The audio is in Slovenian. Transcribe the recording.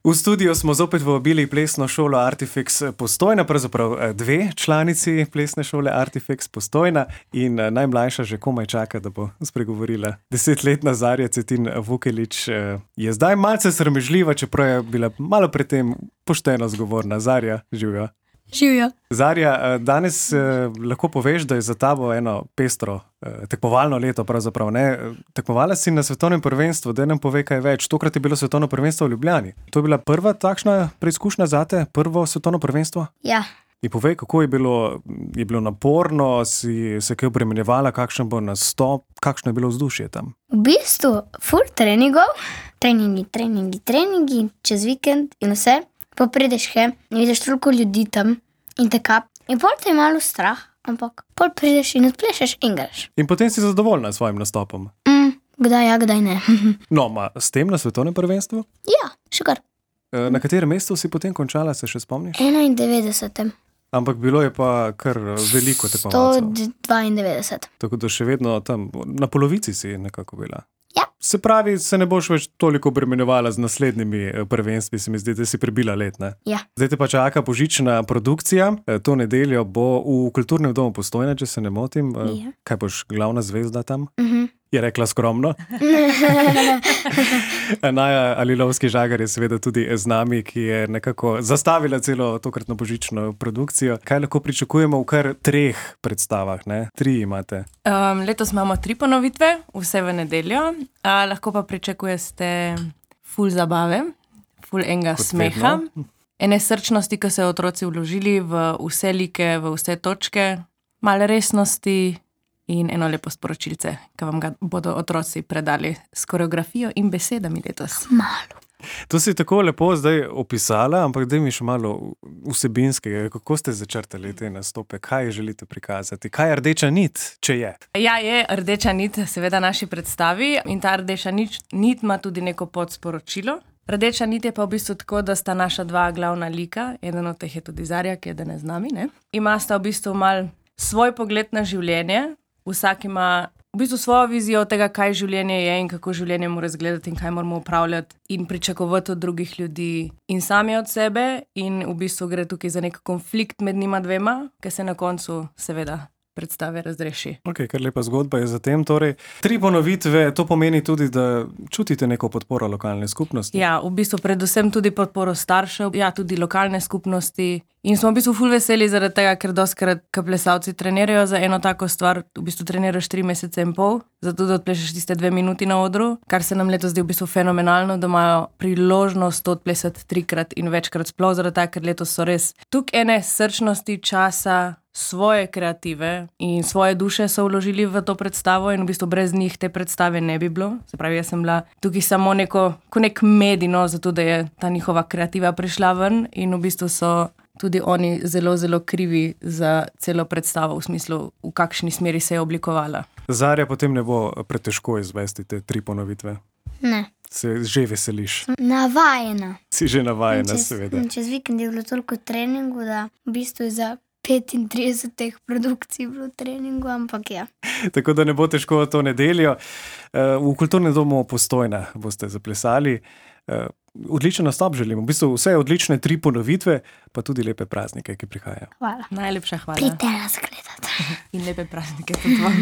V studiu smo zopet vabili plesno šolo Artifex Postojna, pravzaprav dve članici plesne šole Artifex Postojna in najmlajša že komaj čaka, da bo spregovorila. 10-letna Zarja Cetin Vukelić je zdaj malce sramežljiva, čeprav je bila malo pred tem pošteno zgovorna. Zarja, živjo. Živjo. Zarja, danes lahko poveš, da je za tabo eno pestro tekmovalno leto pravzaprav, ne? Tekmovala si na svetovnem prvenstvu, da nam pove kaj več. Tokrat je bilo svetovno prvenstvo v Ljubljani. To je bila prva takšna preizkušnja zate, prvo svetovno prvenstvo? Ja. In povej, kako je bilo naporno, si se kaj obremenjevala, kakšen bo nastop, kakšno je bilo vzdušje tam? V bistvu ful treningov, treningi, čez vikend in vse. Pa prideš in vidiš toliko ljudi tam in teka. In pol te je malo strah, ampak pol prideš in odplešeš in greš. In potem si zadovoljna s svojim nastopom? Kdaj ja, kdaj ne. No, s tem na svetovnem prvenstvu? Ja, še kar. Na katerem mestu si potem končala, se še spomniš? 91. Ampak bilo je pa kar veliko tekmovalcev. 192. Tako da še vedno tam, na polovici si nekako bila. Ja. Se pravi, se ne boš več toliko obremenjevala z naslednjimi prvenstvi, se mi zdi, da si prebila let, ne? Ja. Zdaj te pa čaka božična produkcija. To nedeljo bo v Kulturnem domu Postojna, če se ne motim. Ja. Kaj boš, glavna zvezda tam? Je rekla skromno. Naja Alilovski-Žagar je seveda tudi z nami, ki je nekako zastavila celo tokratno božično produkcijo. Kaj lahko pričakujemo v kar 3 predstavah, ne? 3 imate. Letos imamo 3 ponovitve, vse v nedeljo. Lahko pa pričakujete ful zabave, ful enega smeha. Ene srčnosti, ki so otroci vložili v vse like, v vse točke, malo resnosti in eno lepo sporočilce, ki vam ga bodo otroci predali s koreografijo in besedami letos. Malo. To si tako lepo zdaj opisala, ampak daj mi še malo vsebinskega. Kako ste začrtali te nastope? Kaj želite prikazati? Kaj je rdeča nit, če je? Ja, je rdeča nit seveda naši predstavi in ta rdeča nit ima tudi neko podsporočilo. Rdeča nit je pa v bistvu tako, da sta naša 2 glavna lika, eden od teh je tudi Zarja, ki je danes z nami, ne? Ima sta v bistvu mal svoj pogled na življenje, vsak ima v bistvu svojo vizijo tega, kaj življenje je in kako življenje mora izgledati in kaj moramo upravljati in pričakovati od drugih ljudi in sami od sebe in v bistvu gre tukaj za nek konflikt med njima 2, ki se na koncu seveda predstave razreši. Ok, kar lepa zgodba je za tem. Torej, 3 ponovitve, to pomeni tudi, da čutite neko podporo lokalne skupnosti? Ja, v bistvu predvsem tudi podporo staršev, ja, tudi lokalne skupnosti. In smo v bistvu ful veseli zaradi tega, ker dostikrat, ko plesalci trenirajo za eno tako stvar, v bistvu treniraš 3 mesece in pol, zato da odplešeš tiste 2 minuti na odru, kar se nam letos zdi v bistvu fenomenalno, da imajo priložnost to odplesati 3-krat in večkrat, sploh zaradi tega, ker letos so res tukaj ene srčnosti, časa, svoje kreative in svoje duše so vložili v to predstavo in v bistvu brez njih te predstave ne bi bilo. Se pravi, jaz sem bila tukaj samo nek medij, zato da je ta njihova kreativa prišla ven in v bistvu so tudi oni zelo, zelo krivi za celo predstavo v smislu, v kakšni smeri se je oblikovala. Zarja, potem ne bo pretežko izvesti te 3 ponovitve? Ne. Se že veseliš? Navajena. Si že navajena, seveda. Čez vikend je bilo toliko treningu, da v bistvu za 35 teh produkcij bilo treningu, ampak ja. Tako da ne bo težko to nedeljo. V Kulturnem domu Postojna boste zaplesali. Odličen nastop želim. V bistvu vse odlične 3 ponovitve, pa tudi lepe praznike, ki prihajajo. Hvala. Najlepša hvala. Pridite nas gledati. In lepe praznike tudi vam.